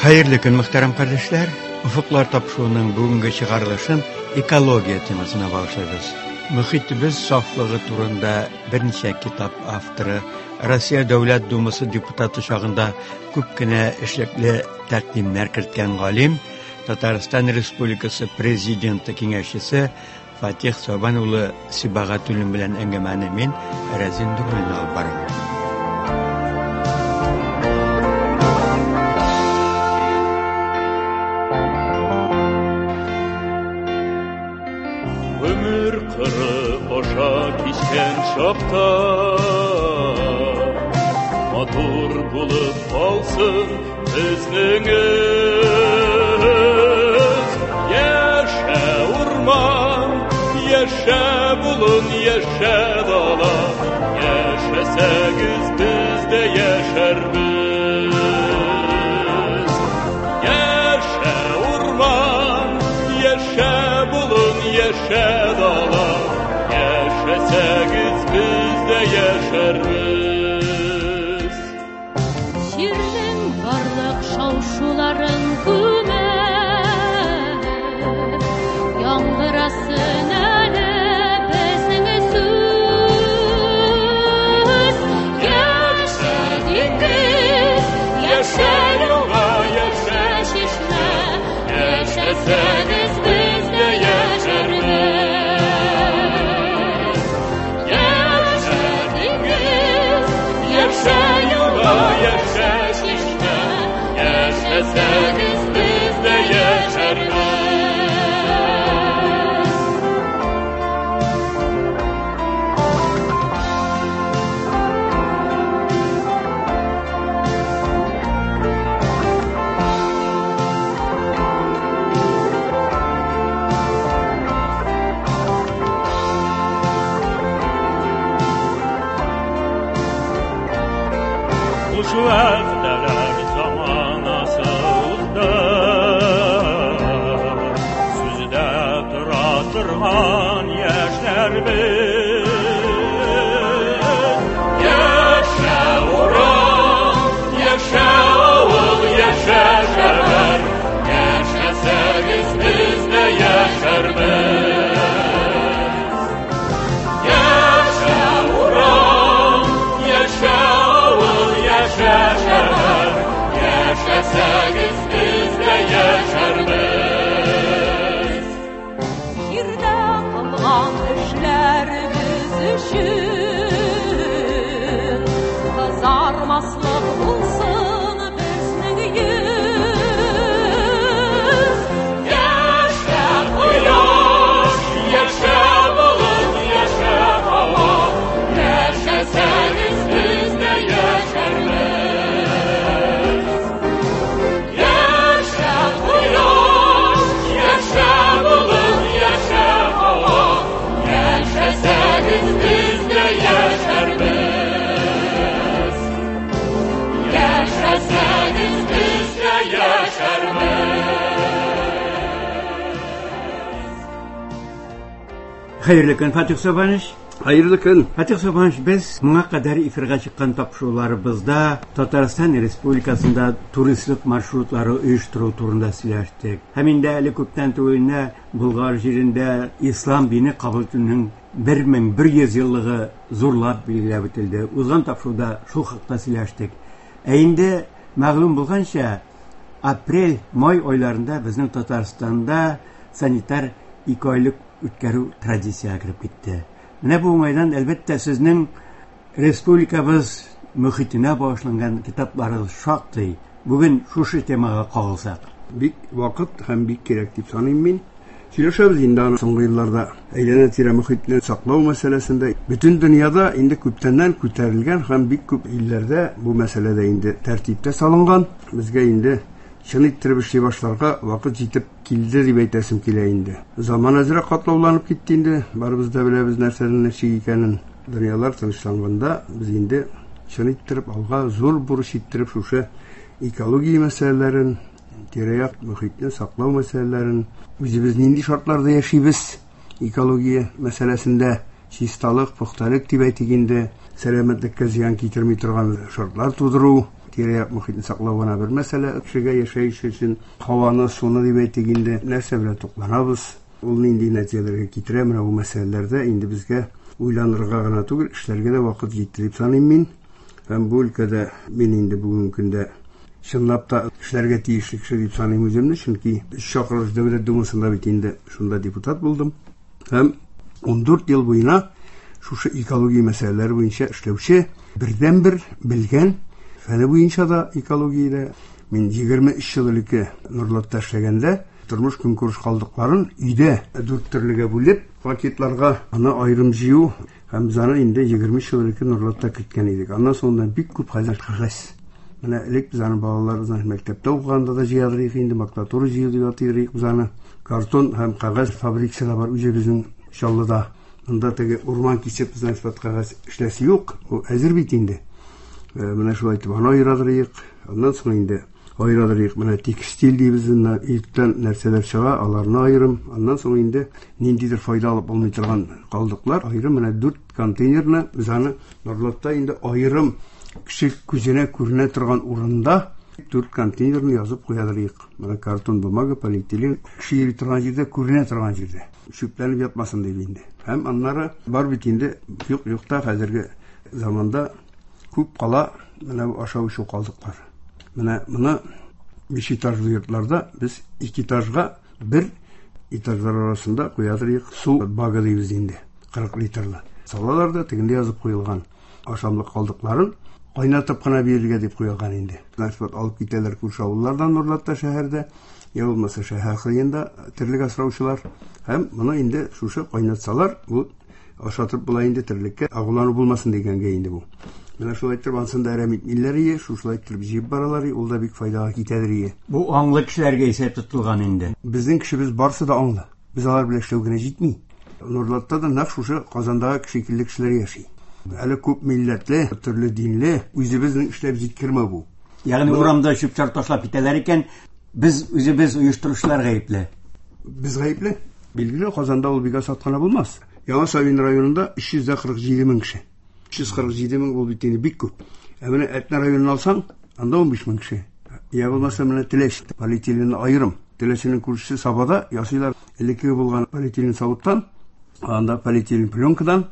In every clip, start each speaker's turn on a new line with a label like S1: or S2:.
S1: Хәерле көн, мөхтәрәм кардәшләр! Офыклар тапшыруының бүгенге чыгарылышын экология темасына багышлыйбыз. Мөхитебез сафлыгы турында берничә китап авторы, Россия Дәүләт Думасы депутаты чагында күп кенә эшлекле тәкъдимнәр керткән галим, Татарстан Республикасы Президенты киңәшчесе Фатих Сабан улы Сибагатуллин белән әңгәмәне мин, Рәзин Нуруллин алып барам.
S2: Гомер кыры аша кичкән чакта Матур булып калсын безнең эз. Яшә урман, яшә болын, яшә дала, Яшәсәгез без дә яшәрбез. Яшә урман, яшә болын, яшә дала, Яшәсәгез без дә яшәрбез.
S3: Җирнең барлык шау-шуларын күмеп, яңгырасын әле безнең сүз. Яшә диңгез, яшә елга, яшә чишмә, яшәсәгез без дә яшәрбез. Яшә диңгез, яшә елга, яшә чишмә, яшәсәгез без дә яшәрбез.
S2: Буш вәгъдәләр заманасы узды. Сүздә тора торган яшьләр без. Яшә урам, яшә авыл, яшә шәһәр, яшәсәгез без дә яшәрбез. Яшә урам, яшә авыл, яшә шәһәр, яшәсәгез без дә яшәрбез.
S3: Җирдә кылган эшләребез өчен кызармаслык булсын безнең йөз.
S2: Яшә кояш, яшә болыт, яшә һава, яшәсәгез без дә яшәрбез. Яшә кояш, яшә болыт, яшә һава, яшәсәгез без дә яшәрбез. Яшәсәгез без дә яшәрбез.
S1: Хәерле көн, Фатих Сабанович.
S4: Хәерле көн.
S1: Фатих Сабанович, без моңа кадәр эфирга чыккан тапшыруларыбызда Татарстан Республикасында туристлык маршрутлары оештыру турында сөйләштек. Һәм инде әле күптән түгел генә Болгар җирендә ислам дине кабул итүнең 1100 еллыгы зурлап билгеләп үтелде. Узган тапшыруда шул хакта сөйләштек. Ә инде мәгълүм булганча, апрель, май айларында безнең Татарстанда санитар ике айлык үткәрү традициягә кереп китте. Менә бу уңайдан, әлбәттә, сезнең республикабыз мөхитенә багышланган китапларыгыз шактый. Бүген шушы темага кагылсак.
S4: Бик вакыт һәм бик кирәк дип саныйм мин. Сөйләшәбез инде аны соңгы елларда әйләнә-тирә мөхитне саклау мәсьәләсендә. Бөтен дөньяда инде күптәннән күтәрелгән һәм бик күп илләрдә бу мәсьәлә дә инде тәртиптә салынган. Безгә инде чын иттереп эшли башларга вакыт җитеп килде дип әйтәсем килә инде. Заман әзрәк катлауланып китте инде. Барыбыз да беләбез нәрсәнең ничек икәнен. Дөньялар тынычланганда без инде чын иттереп алга зур бурыч иттереп шушы экология мәсьәләләрен, тирә-як мөхитне саклау мәсьәләләрен, үзебез нинди шартларда яшибез экология мәсьәләсендә, чисталык, пөхтәлек дип әйтик инде, сәламәтлеккә зыян китерми торган шартлар тудыру. Тирә-як мохитне саклау гына бер мәсьәлә. Кешегә яшәеш өчен һаваны, суны дип әйтик инде, нәрсә белән тукланабыз, ул нинди нәтиҗәләргә китерә, менә бу мәсьәләләрдә инде безгә уйланырга гына түгел, эшләргә дә вакыт җитте дип саныйм мин. Һәм бу өлкәдә мин инде бүгенге көндә чынлап та эшләргә тиешле кеше дип саныйм үземне, чөнки өч чакырылыш Дәүләт Думасында бит инде шунда депутат булдым. Һәм 14 ел буена шушы экология мәсьәләләре буенча эшләүче бердәнбер белгән фәне буенча да экологиядә мин 23 ел элекке Нурлатта эшләгәндә тормыш көнкүреш калдыкларын өйдә дүрт төрлегә бүлеп, пакетларга аны аерым җыю һәм без аны инде 23 ел элекке Нурлатта керткән идек. Аннан соң бик күп хәзер кәгазь. Менә элек без аны балалар мәктәптә укыганда да җыядыр идек инде, макулатура җыю дип атыйдыр идек без аны. Картон һәм кәгазь фабрикасы да бар үзебезнең Чаллыда. Монда теге урман кисеп, значит, кәгазь эшләсе юк. Ул әзер бит инде. Менә шулай итеп аны аерадыр идек. Аннан соң инде аерадыр идек. Менә текстиль дибез, иртән нәрсәләр чыга, аларны аерым. Аннан соң инде ниндидер файда алып булмый торган калдыклар аерым. Менә 4 контейнерны без аны Нурлатта инде аерым кеше күзенә күренә торган урында 4 контейнерны язып куядыр идек. Менә картон, бумага, полиэтилен кеше йөри торган җирдә, күренә торган җирдә. Чүпләнеп ятмасын дип инде. Һәм аннары бар бит инде юк юкта хәзерге заманда күп кала менә бу ашау эчү калдыклары. Менә моны 5 этажлы йортларда без 2 этажга бер этажлар арасында куядыр идек. Су багы дибез инде, 40 литрлы. Салалар да тегендә язып куелган ашамлык калдыкларын кайнатып кына бирергә дип куелган инде. Транспорт алып китәләр күрше авыллардан Нурлатта шәһәрдә, я булмаса шәһәр кырыенда терлек асраучылар. Һәм моны инде шушы кайнатсалар, бу ашатып була инде терлеккә, агулану булмасын дигәнгә инде бу. Менә шулай итеп ансын да әрәм итмиләр ие, шушылай итеп җыеп баралар ие, ул да бик файдага китәдер ие.
S1: Бу аңлы кешеләргә исәп тотылган инде.
S4: Безнең кешебез барсы да аңлы. Без алар белән эшләү генә җитми. Нурлатта да нәкъ шушы Казандагы шикелле кешеләр яши. Әле күп милләтле, төрле динле, үзебезнең эшләп җиткермәү бу.
S1: Ягъни урамда чүп-чар ташлап китәләр икән, без үзебез оештыручылар гаепле.
S4: Без гаепле. Билгеле, Казанда ул бик асат кына булмас. Яңа Савин районында 347 мең кеше. 347 мең ул бит инде бик күп. Ә менә Әтнә районын алсаң, анда 15 мең кеше. Я булмаса менә Теләч, полиэтиленны аерым. Теләченең күршесе Сабада ясыйлар элеккеге булган полиэтилен савыттан, анда полиэтилен пленкадан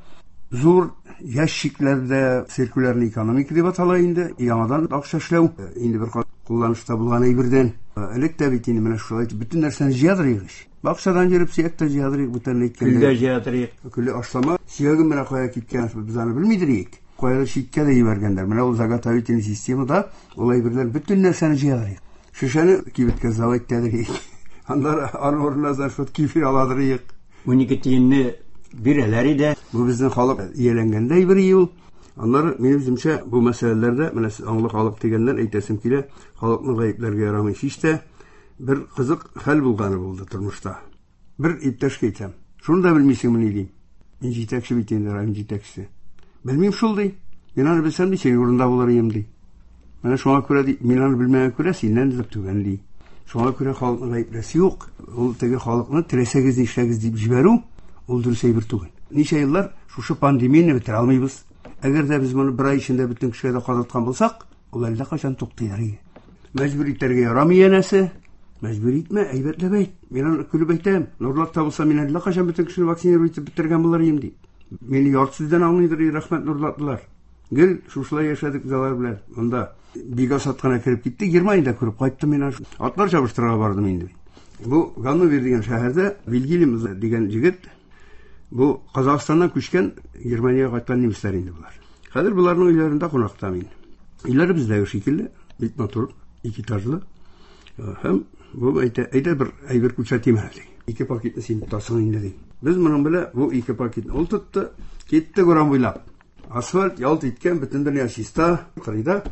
S4: зур ящикләрдә циркулярный экономика дип атала инде, яңадан акча эшләү, инде бер кулланышта булган әйбердән. Элек тә бит инде менә шулай итеп бөтен нәрсәне җыядыр идек. Бакчадан йөреп сөяк тә җыядыр идек, бүтән әйткәндә.
S1: Көл дә җыядыр идек.
S4: Көле ашлама, сөяген менә кая киткән, без аны белмидер идек. Кая читкә дә җибәргәннәр. Менә ул заготовительный системада ул әйберләр бөтен нәрсәне җыядыр идек. Шешәне кибеткә сдавать итәдер идек. Аннары аның урынына значит кефир аладыр идек.
S1: 12 тиенне бирәләр иде.
S4: Бу безнең халык ияләнгәндәй бер юл. Аннары минем үземчә бу мәсьәләләрдә менә сез аңлы халык дигәннән әйтәсем килә, халыкны гаепләргә ярамый һич тә. Бер кызык хәл булганы булды тормышта. Бер иптәшкә әйтәм. Шуны да белмисеңме ни дим. Мин җитәкче бит инде, район җитәкчесе. Белмим шул ди. Мин аны белсәм ди, синең урында булыр идем ди. Менә шуңа күрә ди, мин аны белмәгән күрә синнән дә түбән ди. Шуңа күрә халыкны гаепләсе юк. Ул теге халыкны теләсәгез нишләгез дип җибәрү, ул дөрес әйбер түгел. Ничә еллар шушы пандемияне бетерә алмыйбыз. Әгәр дә без моны бер ай эчендә бөтен кешегә дә кадаткан булсак, ул әллә кайчан туктыйдыр иде. Мәҗбүр итәргә ярамый янәсе. Мәҗбүр итмә, әйбәтләп әйт. Мин аны көлеп әйтәм. Нурлатта булса, мин әллә кайчан бөтен кешене вакцинировать итеп бетергән булыр идем ди. Мине ярты сүздән аңлыйдыр, рәхмәт нурлатлылар. Гел шушылай яшәдек без алар белән. Монда бик асат кына кереп китте. Германиядә күреп кайттым мин. Атлар чабыштырырга бардым инде. Бу Ганновер дигән шәһәрдә Вильгельм дигән җегет, бу Казахстаннан күчкән Германиягә кайткан немецләр инде болар. Хәзер боларның өйләрендә кунакта мин. Өйләре бездәге шикелле, бик матур, ике этажлы. Һәм бу әйтә, әйдә бер әйбер күрсәтим әле, ди. Ике пакетны син тотасың инде, ди. Без моның белән бу ике пакетны ул тотты, киттек урам буйлап. Асфальт ялт иткән, бөтен дөнья чиста, кырыйда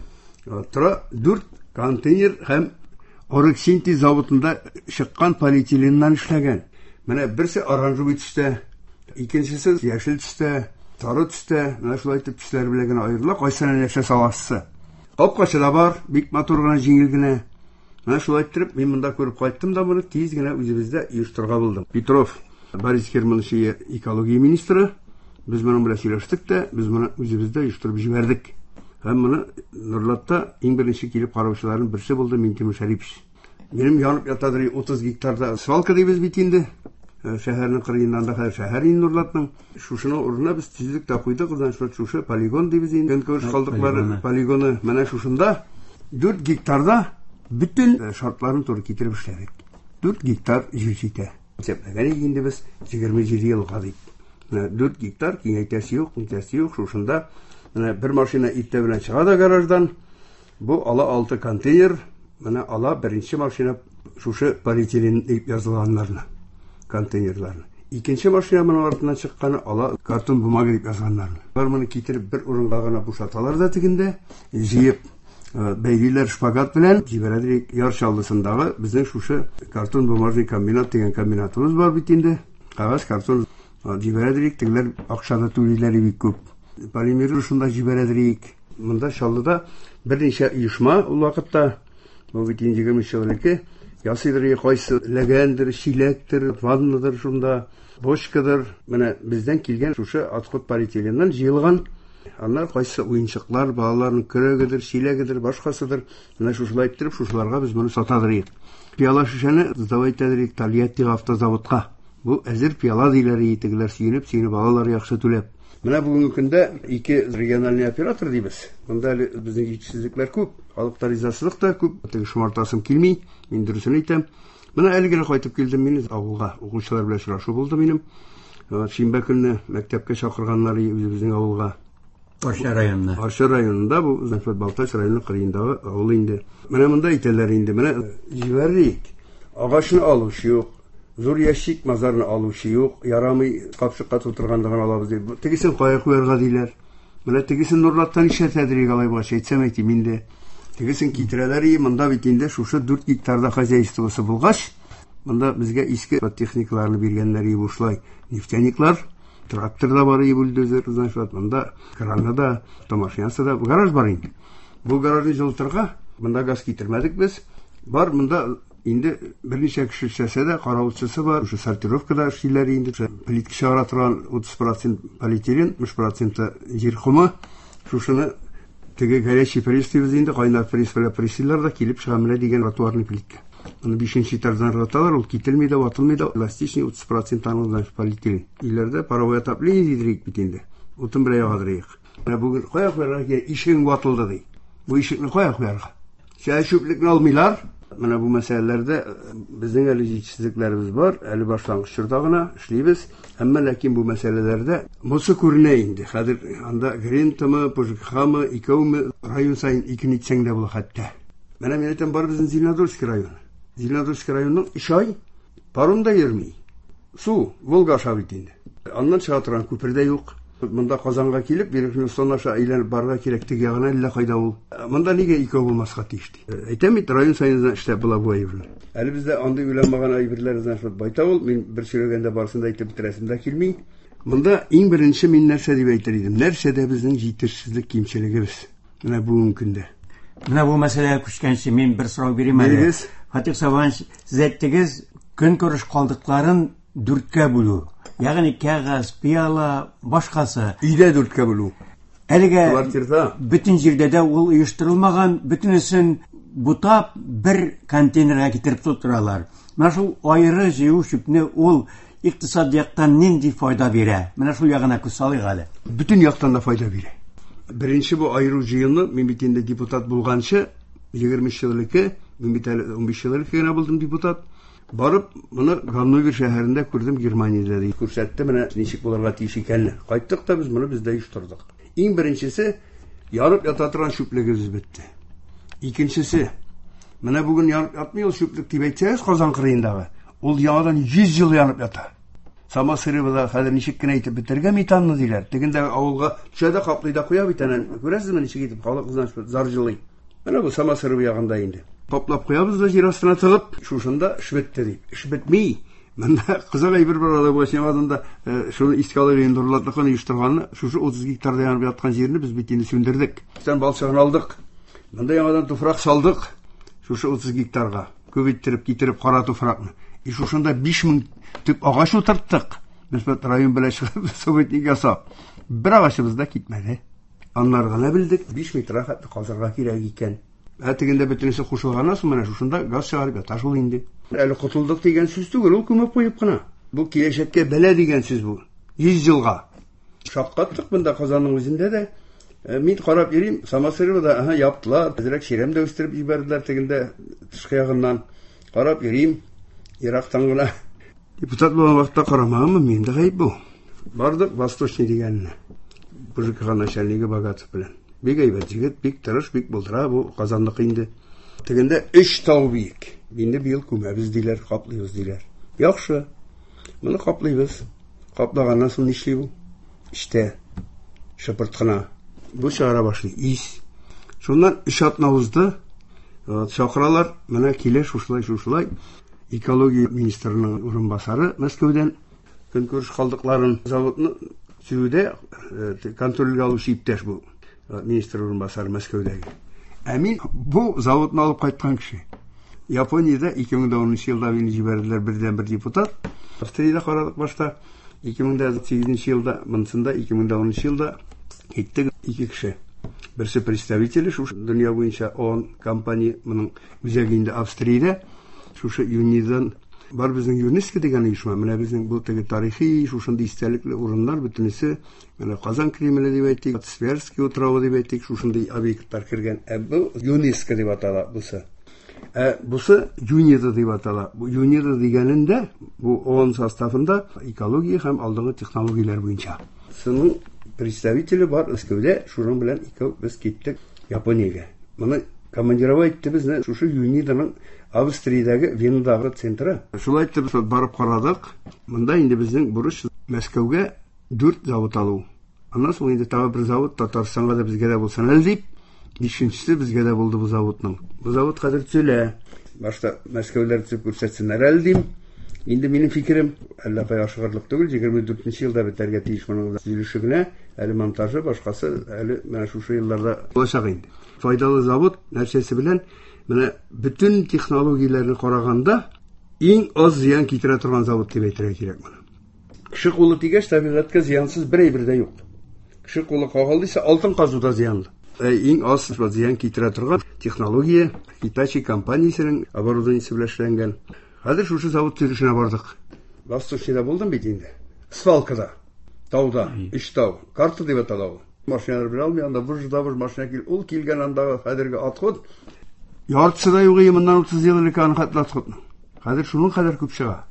S4: тора 4 контейнер һәм Орексинтез заводында чыккан полиэтиленнан эшләгән. Менә берсе оранжевый төстә, икенчесе яшел төстә, сары төстә, менә шулай итеп төсләр белән генә аерыла, кайсына нәрсә саласы. Капкачы да бар, бик матур гына, җиңел генә. Менә шулай иттереп, мин монда күреп кайттым да моны тиз генә үзебездә оештырырга булдым. Петров Борис Германович экология министры, без моның белән сөйләштек тә, без моны үзебездә оештырып җибәрдек. Һәм моны Нурлатта иң беренче килеп караучыларның берсе булды Минтимер Шәрипович. Минем янып ятадыр 30 гектарда свалка дибез бит инде. Шәһәрнең кырыеннан да хәзер шәһәр инде Нурлатның. Шушының урынына без төзлек тә куйдык, значит, шушы полигон дибез инде. Көнкүреш калдыклары полигоны менә шушында 4 гектарда бөтен шартларын туры китереп эшләдек. 4 гектар җир җитә. Исәпләгән идек инде без 27 елга дип. Менә 4 гектар киңәйтәсе юк, нитәсе юк, шушында менә бер машина иртә белән чыга да гараждан. Бу ала 6 контейнер, менә ала беренче машина шушы полиэтилен дип язылганнарны, контейнерларны. Икенче машина моның артыннан чыкканы ала картон бумага дип язганнарны. Алар моны китереп бер урынга гына бушаталар да тегендә, җыеп бәйлиләр шпагат белән, җибәрәләр Яр Чаллысындагы безнең шушы картон бумажный комбинат дигән комбинатыбыз бар бит инде. Кагаз, картон җибәрәдер, тегеләр акча да түлиләр бик күп. Полимер шунда җибәрәдер. Монда Чаллыда берничә оешма ул вакытта, бу бит инде 20 ел элек, ясыйдыр, кайсы ләгәндер, чиләктер, ваннадыр шунда, бочкадыр. Менә бездән килгән шушы отход полиэтиленнан җыелган. Аннар кайсы уенчыклар, балаларның көрәгедер, чиләгедер, башкасыдыр. Менә шушылай иттереп, шушыларга без моны сатадыр идек. Пиала шешәне сдавать итәдер идек Тольяттига автозаводка. Бу әзер пиала диләр иде, тегеләр сөенеп, сөенеп алалар яхшы түләп. Менә бүгенге көндә ике региональный оператор дибез. Монда әле безнең җитешсезлекләр күп, халыкта ризасызлык та күп. Теге шомартасым килми, мин дөресен әйтәм. Менә әле генә кайтып килдем мин авылга. Укучылар белән очрашу булды минем. Шимбә көнне мәктәпкә чакырганнар үзебезнең авылга.
S1: Арча районына.
S4: Арча районында бу Зәфәр Балтач районы кырыендагы авыл инде. Менә монда әйтәләр инде, менә җибәрик. Агачны алучы юк. Зур ящик мазарны алучы юк, ярамый капчыкка тутыргандыгын алабыз дип. Тегесен кая куярга диләр. Менә тегесен Нурлаттан ишәтәдер алай булгач, әйтсәм әйтим инде. Тегесен китерәләр, и монда бит инде шушы 4 гектарда хозяйствосы булгач, монда безгә иске техникаларны биргәннәр и бушлай. Нефтяниклар, трактор да бар и бульдозер, значит, монда краны да, автомашинасы да, гараж бар инде. Бу гаражны җылытырга монда газ китермәдек без. Бар монда инде берничә кеше эшләсә дә, каравылчысы бар, шушы сортировкада эшлиләр инде. Плитка чыгара торган 30% полиэтилен, 60% җир комы. Шушыны теге горячий пресс дибез инде, кайнар пресс белән пресслар да килеп чыга менә дигән тротуарный плитка. Моны 5 этаждан ыргыталар, ул кителми дә, ватылмый да, эластичный 30% аның, значит, полиэтилен. Өйләрдә паровое отопление дидерик бит инде. Утын белән ягадырыйк. Менә бүген кая куярга кирәк? Ишегең ватылды ди. Бу ишекне кая куярга? Чәй чүплекне алмыйлар. Менә бу мәсьәләләрдә безнең әле җитешсезлекләребез бар, әле башлангыч чорда гына эшлибез. Әмма ләкин бу мәсьәләләрдә монсы күренә инде. Хәзер анда Грентамы, ПЖКХмы, икәүме, район саен икене итсәң дә була хәтта. Менә мин әйтәм, бар безнең Зеленодольский районы. Зеленодольский районының 3 ай паром да йөрми. Су Волга аша бит инде. Аннан чыга торган күпер дә юк. Монда Казанга килеп, Верхний Услон аша әйләнеп барырга кирәк, теге ягына әллә кайда ул. Монда нигә икәү булмаска тиеш ди. Әйтәм бит, район саен эшләп була бу әйберне. Әле бездә андый уйланмаган әйберләр, значит, байтак ул. Мин бер сөйләгәндә барысын да әйтеп бетерәсем дә килми. Монда иң беренче мин нәрсә дип әйтер идем? Нәрсәдә безнең җитешсезлек кимчелегебез? Менә бүгенге көндә.
S1: Менә бу мәсьәләгә күчкәнче мин бер сорау бирим әле.
S4: Бирегез.
S1: Фатих Сабанович, сез әйттегез, көнкүреш калдыкларын дүрткә бүлү. Ягъни кәгазь, пыяла, башкасы.
S4: Өйдә дүрткә бүлү.
S1: Әлегә
S4: Квартирда.
S1: бөтен җирдә дә ул оештырылмаган, бөтенесен бутап бер контейнерга китереп тутыралар. Менә шул аеры җыю чүпне ул икътисад яктан нинди файда бирә? Менә шул ягына күз салыйк әле.
S4: Бөтен яктан да файда бирә. Беренче бу аеру җыены, мин бит инде депутат булганчы, 23 ел элек, мин бит әле 15 ел элек кенә булдым депутат. Барып, моны Ганновер шәһәрендә күрдем, Германиядә ди. Күрсәтте менә ничек булырга тиеш икәнне. Кайттык та без моны бездә оештырдык. Иң беренчесе, ярып ята торган чүплегебез бетте. Икенчесе, менә бүген ярып ятмый ул чүплек дип әйтсәгез, Казан кырыендагы, ул яңадан 100 ел янып ята. Самосырыбыда хәзер ничек кенә итеп бетергә метанны диләр. Тегендә авылга төшә дә каплый да куя бит әнә. Күрәсезме ничек итеп халык значит зар җылый. Менә бу Самосыров ягында инде. Каплап куябыз да җир астына тыгып, шушында эш бетте дип. Эш бетми. Монда кызык әйбер бар алай булгач, яңадан да шуны искә алып инде Нурлатлыкны оештырганны, шушы 30 гектарда янып яткан җирне без бит инде сүндердек. Өстән балчыгын алдык. Монда яңадан туфрак салдык. Шушы 30 гектарга күп иттереп китереп кара туфракны. И шушында 5000 төп агач утырттык. Без бит район белән чыгып советник ясап. Бер агачыбыз да китмәде. Аннары гына белдек, 5 метрга хәтле казырга кирәк икән. Ә тегендә бөтенесе кушылганнан соң менә шушында газ чыгарып ята шул инде. Әле котылдык дигән сүз түгел, ул күмеп куеп кына. Бу киләчәккә бәла дигән сүз бу. 100 елга. Шаккаттык монда Казанның үзендә дә. Мин карап йөрим, Самосыровада, аһа, яптылар, әзрәк чирәм дә үстереп җибәрделәр тегендә тышкы ягыннан. Карап йөрим, ерактан гына. Депутат булган вакытта карамаганмын, минем дә гаеп бу. Бардык Восточный дигәненә. БЖК начальнигы Богатов белән. Бик әйбәт егет, бик тырыш, бик булдыра бу Казанныкы инде. Тегендә 3 тау биек. Инде быел күмәбез диләр, каплыйбыз диләр. Яхшы. Моны каплыйбыз. Каплаганнан соң нишли бу? Эчтә шыпырт кына. Бу чыгара башлый ис. Шуннан 3 атна узды. Чакыралар, менә килә шушылай, шушылай. Экология министрының урынбасары Мәскәүдән көнкүреш калдыкларын заводны төзүдә контрольгә алучы иптәш бу министр урынбасары Мәскәүдәге. Ә мин бу заводны алып кайткан кеше. Япониядә 2010 елда мине җибәрделәр бердән-бер депутат. Австриядә карадык башта. 2008 елда, монысында 2010 елда киттек ике кеше. Берсе представители шушы дөнья буенча ООН компания, моның үзәге инде Австриядә. Шушы ЮНИДан бар безнең ЮНЕСКО дигән оешма, менә безнең бу теге тарихи шушындый истәлекле урыннар бөтенесе, менә Казан Кремле дип әйтик, Тверский утравы дип әйтик, шушындый объектлар кергән. Ә бу ЮНЕСКО дип атала бусы. Ә бусы ЮНИДА дип атала. Бу ЮНИДА дигәнендә, бу ООН составында экология һәм алдынгы технологияләр буенча. Шуның представителе бар Мәскәүдә, шуның белән икәү без киттек Япониягә. Моны командировать итте безне шушы ЮНИДАның Австриядәге Венадагы центры. Шулай итеп барып карадык. Монда инде безнең бурыч Мәскәүгә 4 завод алу. Аннан соң инде тагы бер завод Татарстанга да безгә дә булсын әле дип, бишенчесе безгә дә булды бу заводның. Бу завод хәзер төзелә. Башта Мәскәүләр төзеп күрсәтсеннәр әле дим. Инде минем фикерем, әллә кая ашыгырлык түгел, 24 елда бетәргә тиеш моның төзелеше генә, әле монтажы, башкасы әле менә шушы елларда булачак инде. Файдалы завод нәрсәсе белән менә бөтен технологияләрне караганда иң аз зыян китерә торган завод дип әйтергә кирәк моны. Кеше кулы тигәч, табигатькә зыянсыз бер әйбер дә юк. Кеше кулы кагылды исә, алтын казу да зыянлы. Иң аз зыян китерә торган технология Hitachi компаниясенең оборудованиесе белән эшләнгән. Хәзер шушы завод төзелешенә бардык. Восточныйда булдым бит инде. Свалкада, тауда, өч тау, карта дип атала ул. Машиналар белә алмый, анда выж да выж машина кил. Ул килгән андагы хәзерге отход. Яртысы да юк иде моннан 30 ел элек аның хәтле отходның. Хәзер шуның кадәр күп чыга.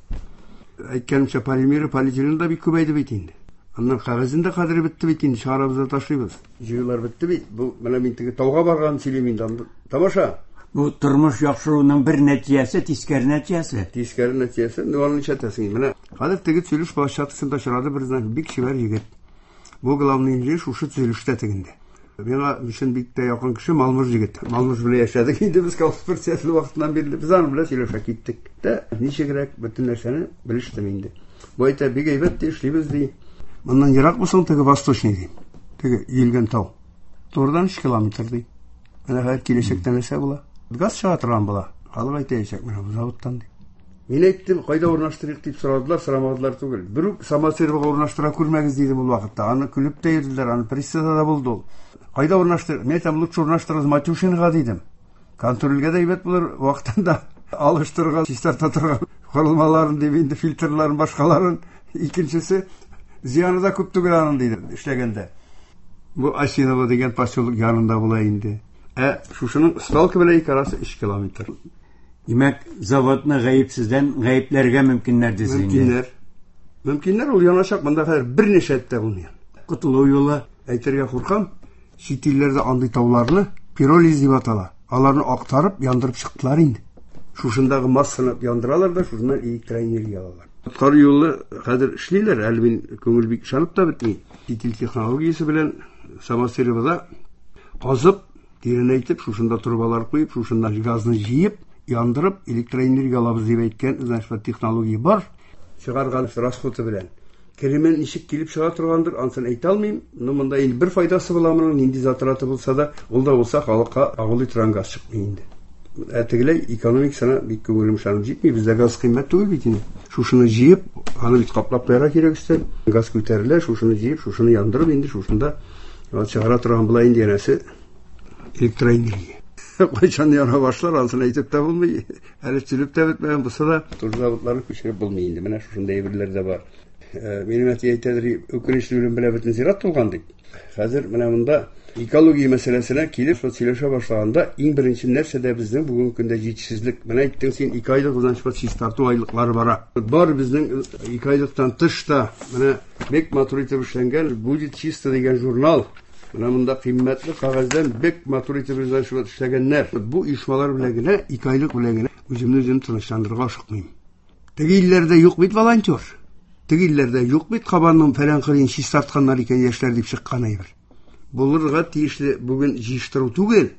S4: Әйткәнемчә, полимеры, полиэтилен да бик күбәйде бит инде. Аннан кәгазен дә кадере бетте бит инде, чыгарабыз да ташлыйбыз. Җыюлар бетте бит. Бу менә мин теге тауга барганын сөйлим инде. Анда тамаша.
S1: Бу тормыш яхшыруның бер нәтиҗәсе, тискәре нәтиҗәсе.
S4: Тискәре нәтиҗәсе, ну аны нишләтәсең? Менә хәзер теге төзелеш площадкасында очрады бер знак, бик чибәр егет. Бу главный инженер шушы төзелештә тегендә. Миңа өчен бик тә якын кеше Малмыж егет. Малмыж белән яшәдек инде без колхоз председателе вакытыннан бирле. Без аның белән сөйләшә киттек тә, ничегрәк бөтен нәрсәне белештем инде. Бу әйтә, бик әйбәт ди, эшлибез ди. Моннан ерак булсаң, теге Восточный ди. Теге өелгән тау. Турыдан 3 километр ди. Менә хәзер киләчәктә нәрсә була? Газ чыга торган була. Халык әйтәчәк, менә бу заводтан ди. Мин әйттем, кайда урнаштырыйк дип сорадылар, сорамадылар түгел. Бер үк Самосыровага урнаштыра күрмәгез дидем ул вакытта. Аны көлеп тә йөрделәр, аны прессада да булды ул. Кайда урнаштыр? Мин әйтәм, лучше урнаштырыгыз Матюшинга дидем. Контрольгә дә әйбәт булыр, вакытында алыштырырга, чистарта торган корылмаларын дип инде фильтрларын, башкаларын. Икенчесе, зыяны да күп түгел аның дидем, эшләгәндә. Бу Осиново дигән поселок янында була инде. Ә шушының свалка белән ике арасы 3 километр.
S1: Димәк, заводны гаепсездән гаепләргә мөмкиннәр дисез инде.
S4: Мөмкиннәр. Мөмкиннәр, ул яначак, монда хәзер берничә эт тә булмый.
S1: Котылу юлы.
S4: Әйтергә куркам, чит илләрдә андый тауларны пиролиз дип атала. Аларны актарып, яндырып чыктылар инде. Шушындагы массаны яндыралар да, шушыннан электроэнергия алалар. Коткару юлы хәзер эшлиләр, әле мин күңел бик ышанып та бетми. Чит ил технологиясе белән Самосыровада казып, тирәнәйтеп, шушында трубалар куеп, шушында газны җыеп, яндырып, электроэнергия алабыз дип әйткән, значит, технология бар. Чыгарган расходы белән. Керемен ничек килеп чыга торгандыр, ансын әйтә алмыйм. Но монда инде бер файдасы була моның, нинди затраты булса да, ул да булса халыкка агулый торган газ чыкмый инде. Ә тегеләй экономикасына бик күңелем ышанып җитми, бездә газ кыйммәт түгел бит инде. Шушыны җыеп, аны бит каплап куярга кирәк өстән. Газ күтәрелә, шушыны җыеп, шушыны яндырып инде шушында Вот чыгара торган була инде янәсе электроэнергия. Кайчан яна башлар, анысын әйтеп тә булмый. Әле төзелеп тә бетмәгән булса да, тоз заводларын күчереп булмый инде. Менә шушындый әйберләр дә бар. Минем әти әйтәдер, үкенечле үлем белән бөтен зират тулган дип. Хәзер менә монда экология мәсьәләсенә килеп, шул сөйләшә башлаганда, иң беренче нәрсәдә безнең бүгенге көндә җитешсезлек. Менә әйттең син, 2 айлык значит, чистарту айлыклары бара. Бар безнең 2 айлыктан тыш та менә бик матур итеп эшләнгән «Будет чисто» дигән журнал. Менә монда кыйммәтле кәгазьдән бик матур итеп значит, эшләгәннәр. Бу оешмалар белән генә, 2 айлык белән генә үземне үзем тынычландырырга ашыкмыйм. Теге илләрдә юк бит волонтер. Теге илләрдә юк бит кабанның фәлән кырыен чистартканнар икән яшьләр дип чыккан әйбер. Булырга тиешле бүген җыештыру түгел,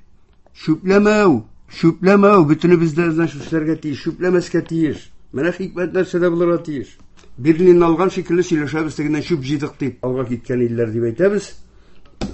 S4: чүпләмәү, чүпләмәү, бөтенебез дә значит эшләргә тиеш, чүпләмәскә тиеш. Менә хикмәт нәрсәдә булырга тиеш. Берлинны алган шикелле сөйләшәбез, тегеннән чүп җыйдык дип, алга киткән илләр дип әйтәбез.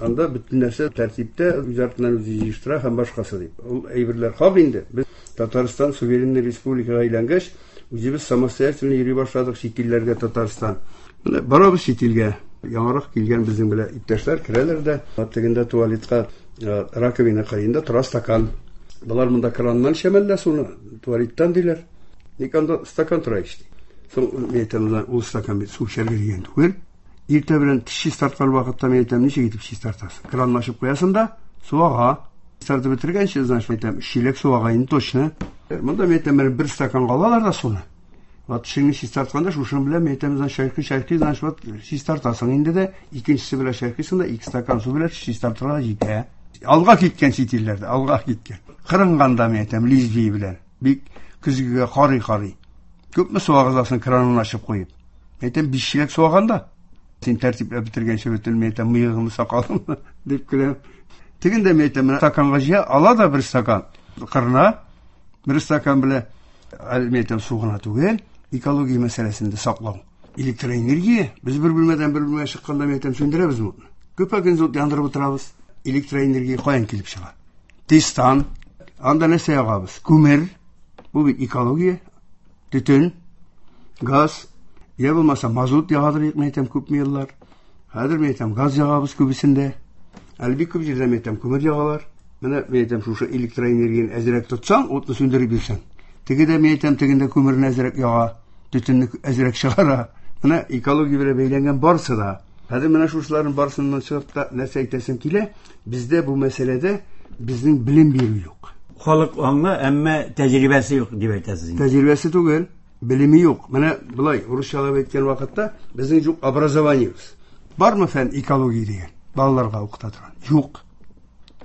S4: Анда бөтен нәрсә тәртиптә, үз артыннан үзе җыештыра һәм башкасы дип. Ул әйберләр хак инде. Без Татарстан суверенный республикага әйләнгәч, үзебез самостоятельно йөри башладык чит илләргә Татарстан. Менә барабыз чит илгә. Яңарак килгән безнең белән иптәшләр керәләр дә, тегендә туалетка, раковина кырыенда тора стакан. Болар монда краннан эчәмәллә суны, туалеттан диләр. Ник анда стакан тора ич? Соң мин әйтәм, ул стакан бит су эчәргә дигән түгел. Иртә белән теш чистарткан вакытта мин әйтәм, ничек итеп чистартасың? Кранны ачып куясың да, су ага. Чистартып бетергәнче, значит, әйтәм, чиләк су ага инде точно. Монда мин әйтәм, менә бер стаканга алалар да суны. Вот тешеңне чистартканда шушының белән мин әйтәм, значит, чайкый, чайкый, значит, вот чистартасың инде дә, икенчесе белән чайкыйсың да, 2 стакан су белән чистартырга җитә. Алга киткән чит илләрдә, алга киткән. Кырынганда мин әйтәм, лезвие белән. Бик көзгегә карый-карый. Күпме су агызасың кранын ачып куеп? Әйтәм, 5 чиләк су аганда. Син тәртипләп бетергәнче бөтен, мин әйтәм, мыегыңны, сакалыңны дип көләм. Тегендә мин әйтәм, менә стаканга җыя, ала да бер стакан. Кырына, бер стакан белән, әле мин әйтәм, су гына түгел, экология мәсьәләсен дә саклау. Электроэнергия, без бер бүлмәдән бер бүлмәгә чыкканда, мин әйтәм, сүндерәбез утны. Күпме көн ут яндырып утырабыз. Электроэнергия каян килеп чыга? Тестан. Анда нәрсә ягабыз? Күмер. Бу бит экология. Төтен, газ, я булмаса мазут ягадыр, мин әйтәм, күпме еллар. Хәзер мин әйтәм, газ ягабыз күбесендә. Әле бик күп җирдә мин әйтәм, күмер ягалар. Менә мин әйтәм, шушы электроэнергияне әзрәк тотсаң, утны сүндереп йөрсәң. Теге дә мин әйтәм, тегендә күмерне әзрәк яга, төтенне әзрәк чыгара. Менә экология белән бәйләнгән барысы да. Хәзер менә шушыларның барысыннан чыгып та нәрсә әйтәсем килә, бездә бу мәсьәләдә безнең белем бирү юк.
S1: Халык аңлы, әмма тәҗрибәсе юк дип әйтәсез инде.
S4: Тәҗрибәсе түгел, белеме юк. Менә болай урысчалап әйткән вакытта безнең юк образованиебез. Бармы фән экология дигән? Балаларга укыта торган. Юк.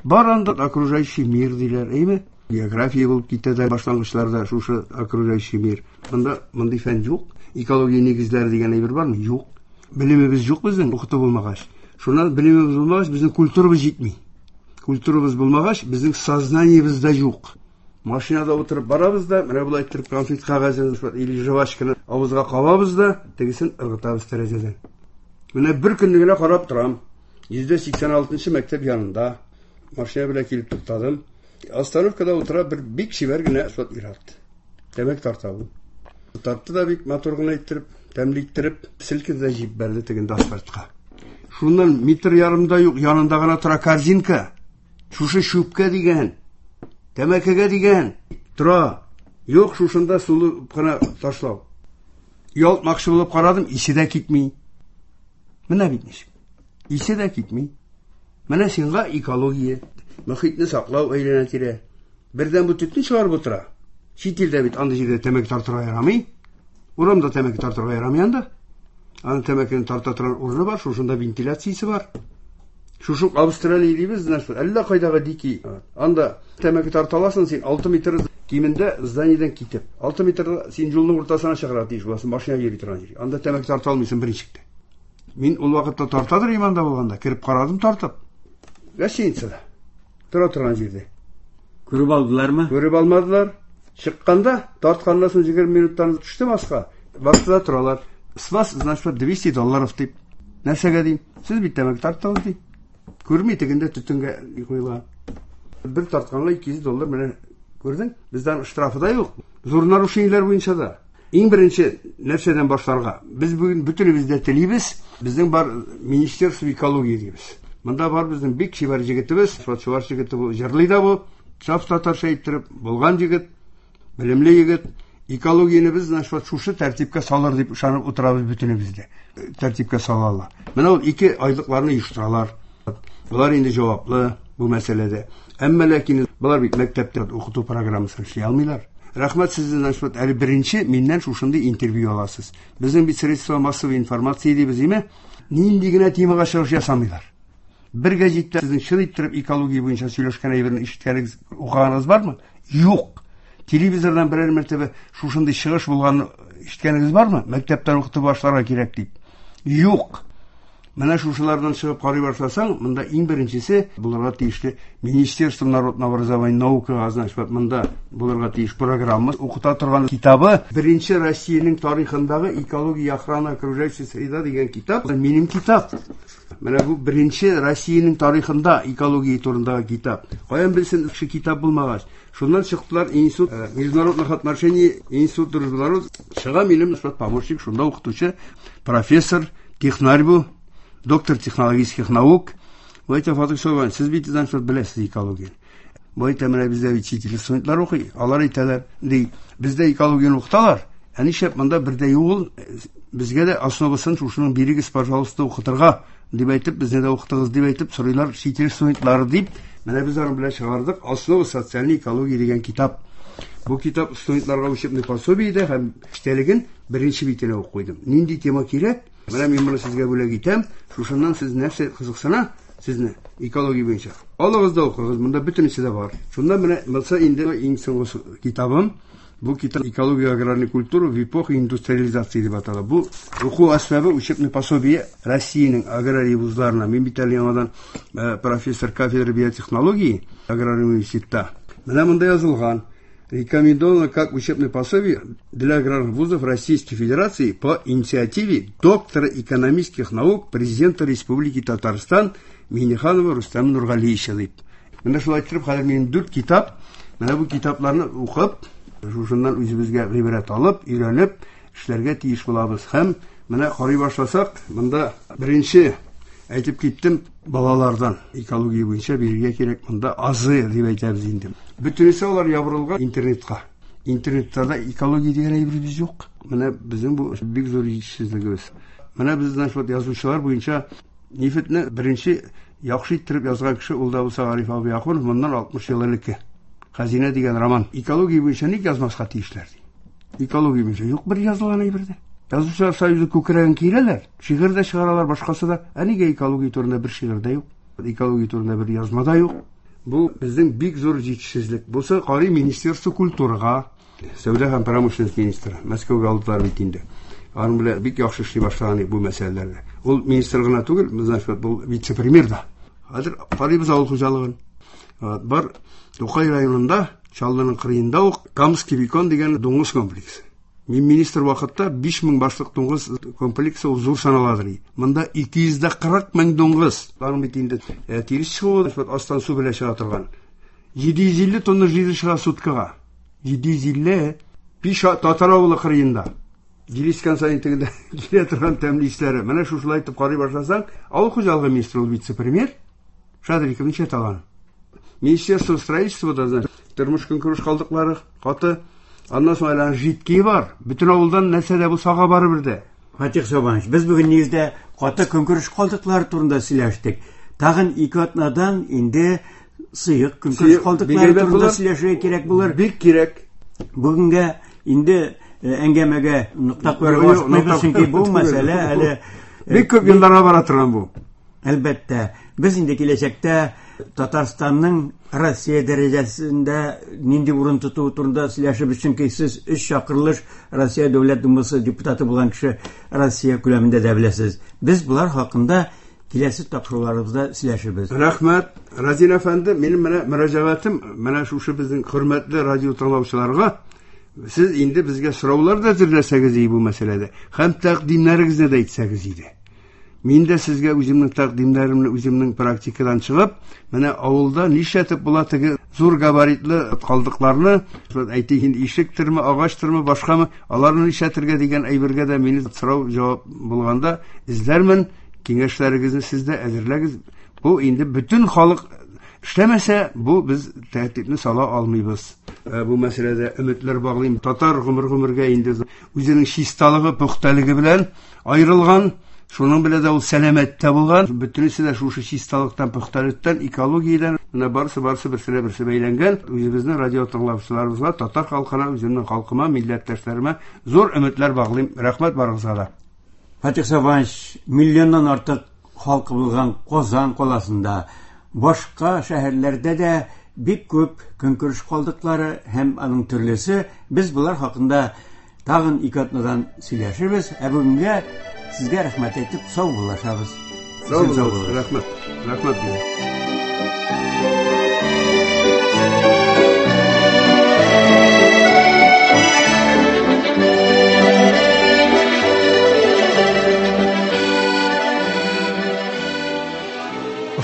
S4: Бар анда окружающий мир диләр, әйме? География булып китә дә башлангычларда шушы окружающий мир. Монда мондый фән юк. Экология нигезләре дигән әйбер бармы? Юк. Белемебез юк безнең, укыту булмагач. Шуннан белемебез булмагач, безнең культурабыз җитми. Культурабыз булмагач, безнең сознаниебез дә юк. Машинада утырып барабыз да, менә болай иттереп конфет кәгазен или жвачканы авызга кабабыз да, тегесен ыргытабыз тәрәзәдән. Менә бер көнне генә карап торам. 186 мәктәп янында машина белән килеп туктадым. Остановкада утыра бер бик чибәр генә шот ир-ат. Тәмәк тарта ул. Тартты да бик матур гына иттереп, тәмле иттереп, селкеде дә җибәрде тегендә асфальтка. Шуннан метр ярым да юк, янында гына тора корзинка. Шушы чүпкә дигән, тәмәкегә дигән тора. Юк, шушында сулы гына ташлау. Ялтмакчы булып карадым, исе дә китми. Менә бит ничек. Исе дә китми. Менә сиңа экология, мөхитне саклау әйләнә-тирә. Бердән бу төтен чыгарып утыра. Чит илдә бит андый җирдә тәмәке тартырга ярамый. Урамда тәмәке тартырга ярамый анда. Аның тәмәкене тарта торган урыны бар, шушында вентиляциясе бар. Шушы Австралия дибез, значит, әллә кайдагы дикий. Анда тәмәке тарта аласың син 6 метр кимендә зданиедән китеп. 6 метр син юлның уртасына чыгарга тиеш буласың, машина йөри торган җир. Анда тәмәке тарта алмыйсың берничек тә. Мин ул вакытта тартадыр идем анда булганда, кереп карадым тартып. Гостиницада. Тора торган җирдә.
S1: Күреп алдылармы?
S4: Күреп алмадылар. Чыкканда, тартканнан соң 20 минуттан төштем аска. Бакты да торалар. С вас, значит, 200 долларов дип. Нәрсәгә дим? Сез бит тәмәке тарттыгыз ди. Күрми тегендә төтенгә куелган. Бер тартканга 200 доллар менә күрдең? Бездән штрафы да юк. Зур нарушениеләр буенча да. Иң беренче нәрсәдән башларга? Без бүген бөтенебез дә телибез. Безнең бар Министерство экологии дибез. Монда бар безнең бик чибәр җегетебез, чуваш җегете бу, җырлый да бу, саф татарча иттереп булган җегет, белемле егет. Экологияне без значит шушы тәртипкә салыр дип ышанып утырабыз бөтенебез дә. Тәртипкә салалар. Менә ул 2 айлыкларны оештыралар. Болар инде җаваплы бу мәсьәләдә. Әмма ләкин болар бит мәктәптә укыту программасын эшли алмыйлар. Рәхмәт сездән, значит, әле беренче миннән шушындый интервью аласыз. Безнең бит средства массовой информации дибез, име? Нинди генә темага чыгыш ясамыйлар. Бер гәзиттә сезнең чын иттереп экология буенча сөйләшкән әйберне ишеткәнегез, укыганыгыз бармы? Юк. Телевизордан берәр мәртәбә шушындый чыгыш булганын ишеткәнегез бармы? Мәктәптән укытып башларга кирәк дип. Юк. Менә шушылардан чыгып карый башласаң, монда иң беренчесе булырга тиешле Министерство народного образования наукага, значит, монда булырга тиеш программа, укыта торган китабы, беренче Россиянең тарихындагы экология охрана окружающей среда дигән китап, минем китап. Менә бу беренче Россиянең тарихында экология турындагы китап. Каян белсен кеше китап булмагач. Шуннан чыктылар институт международных отношений, институт дружбы народов. Чыга минем помощник, шунда укытучы, профессор, технарь бу, доктор технологических наук. Бу әйтә, Фатих Сөләйманович, сез бит значит беләсез экологияне. Бу әйтә, менә бездә бит чит ил студентлар укый, алар әйтәләр, ди, бездә экологияне укыталар. Ә нишләп монда бер дә юк ул, безгә дә основасын шушының бирегез, пожалуйста, укытырга дип әйтеп, безне дә укытыгыз дип әйтеп сорыйлар чит ил студентлары дип. Менә без аның белән чыгардык Основа социальной экологии дигән китап. Бу китап студентларга учебный пособие дә һәм эчтәлеген беренче битенә ук куйдым. Нинди тема кирәк? Менә мин моны сезгә бүләк итәм. Шушыннан сез нәрсә кызыксына сезне экология буенча. Алыгыз да укыгыз, монда бөтенесе дә бар. Шунда менә монысы инде иң соңгы китабым. Бу китап «Экология аграрной культуры в эпоху индустриализации» дип атала. Бу уку әсбабы, учебный пособие Россиянең аграрий вузларына. Мин бит әле яңадан профессор кафедры биотехнологии аграрный университетта. Менә монда язылган: рекомендовано как учебное пособие для аграрных вузов Российской Федерации по инициативе доктора экономических наук президента Республики Татарстан Минниханова Рустама Нургалиевича дип. Менә шулай итеп хәзер минем 4 китап. Менә бу китапларны укып, шушыннан үзебезгә гыйбрәт алып, өйрәнеп эшләргә тиеш булабыз. Һәм менә карый башласак, монда беренче әйтеп киттем, балалардан экология буенча бирергә кирәк, монда азы дип әйтәбез инде. Бөтенесе алар ябырылган интернетка. Интернетта да экология дигән әйберебез юк. Менә безнең бу бик зур җитешсезлегебез. Менә безнең шул язучылар буенча нефтьне беренче яхшы иттереп язган кеше ул да булса Гариф абый Ахунов, моннан 60 ел элекке. Хәзинә дигән роман. Экология буенча ник язмаска тиешләр ди. Экология буенча юк бер язылган әйбер дә. Язучылар союзы күкрәген киерәләр, шигырь дә чыгаралар, башкасы да. Ә нигә экология турында бер шигырь дә юк? Экология турында бер язма да юк. Бу безнең бик зур җитешсезлек. Бусы карый Министерство культурага, сәүдә һәм промышленность министры Мәскәүгә алдылар бит инде. Аның белән бик яхшы эшли башлаган бу мәсьәләләрдә. Ул министр гына түгел, значит, бу вице-премьер да. Хәзер карыйбыз авыл хуҗалыгын. Бар Тукай районында, Чаллының кырыенда ук Камский бекон дигән дуңгыз комплексы. Мин министр вакытта 5000 башлык дуңгыз комплексы ул зур саналадыр. Монда 240 мең дуңгыз. Аның бит инде тирес чыгуы, астан су белән чыга торган. 750 тонна жире чыга суткага. 750 Пиш татар авылы кырыенда. Җилискән саен тегендә килә торган тәмле исләре. Менә шушылай итеп карый башласаң, авыл хуҗалыгы министры ул вице-премьер Шадриков ничә талан. Министерство строительства да, значит, тормыш көнкүреш калдыклары каты. Аннан соң әле жидкие бар. Бөтен авылдан нәрсә дә булса ага барыбер дә.
S1: Фатих Сабанович, без бүген нигездә каты көнкүреш калдыклары турында сөйләштек. Тагын 2 атнадан инде сыек көнкүреш калдыклары турында сөйләшергә кирәк булыр.
S4: Бик кирәк.
S1: Бүгенгә инде әңгәмәгә нокта куярга ашыкмыйбыз, чөнки бу мәсьәлә әле
S4: бик күп елларга бара торган бу.
S1: Әлбәттә, без инде киләчәктә Татарстанның Россия дәрәҗәсендә нинди урын тотуы турында сөйләшербез, чөнки сез 3 чакырылыш Россия Дәүләт Думасы депутаты булган кеше Россия күләмендә дә беләсез. Без булар хакында киләсе тапшыруларыбызда сөйләшербез.
S4: Рәхмәт, Разил әфәнде, минем менә мөрәҗәгатем менә шушы безнең хөрмәтле радио тыңлаучыларга. Сез инде безгә сораулар да әзерләсәгез иде бу мәсьәләдә, һәм тәкъдимнәрегезне дә әйтсәгез иде. Мин дә сезгә үземнең тәкъдимнәремне үземнең практикадан чыгып, менә авылда нишләтеп була теге зур габаритлы калдыкларны, әйтик инде ишектерме, агачтырмы, башкамы, аларны нишләтергә дигән әйбергә дә мине сорау җавап булганда эзләрмен. Киңәшләрегезне сез дә әзерләгез. Бу инде бөтен халык эшләмәсә, бу без тәртипне сала алмыйбыз. Бу мәсьәләдә өметләр баглыйм. Татар гомер-гомергә инде үзенең чисталыгы, пөхтәлеге белән аерылган. Шуның белән дә ул сәламәт тә булган. Бөтенесе дә шушы чисталыктан, пөхтәлектән, экологиядән, менә барысы-барысы берсенә берсе бәйләнгән. Үзебезнең радио тыңлаучыларыбызга, татар халкына, үземнең халкыма, милләттәшләремә зур өметләр баглыйм. Рәхмәт барыгызга да.
S1: Фатих Сабанович, миллионнан артык халкы булган Казан каласында, башка шәһәрләрдә дә бик күп көнкүреш калдыклары һәм аның төрлесе. Без болар хакында тагын ике атнадан сөйләшербез. Ә бүгенгә сезгә рәхмәт әйтеп сау булашабыз.
S4: Сау булыгыз. Рәхмәт. Рәхмәт сезгә.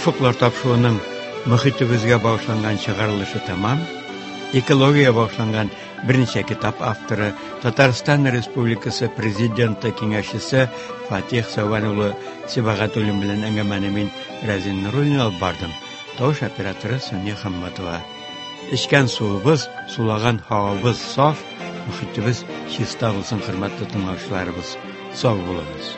S1: Офыклар тапшыруының мөхитебезгә багышланган чыгарылышы тәмам. Экология багышланган берничә китап авторы, Татарстан Республикасы Президенты киңәшчесе Фатих Сәүбән улы Сибагатуллин белән әңгәмәне мин Рәзин Нуруллин алып бардым. Тавыш операторы Соня Хамматова. Эчкән суыбыз, сулаган һавабыз саф, мөхитебез чиста булсын, хөрмәтле тыңлаучыларыбыз. Сау булыгыз.